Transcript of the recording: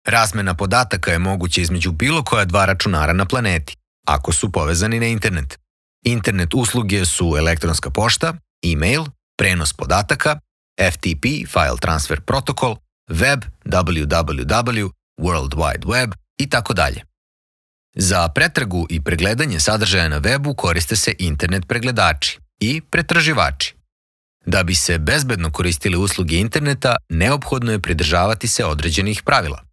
Razmena podataka je moguća između bilo koja dva računara na planeti, ako su povezani na internet. Internet usluge su elektronska pošta, e-mail, prenos podataka, FTP, File Transfer Protocol, web, www, World Wide Web i tako dalje. Za pretragu i pregledanje sadržaja na webu koriste se internet pregledači i pretraživači. Da bi se bezbedno koristile usluge interneta, neophodno je pridržavati se određenih pravila.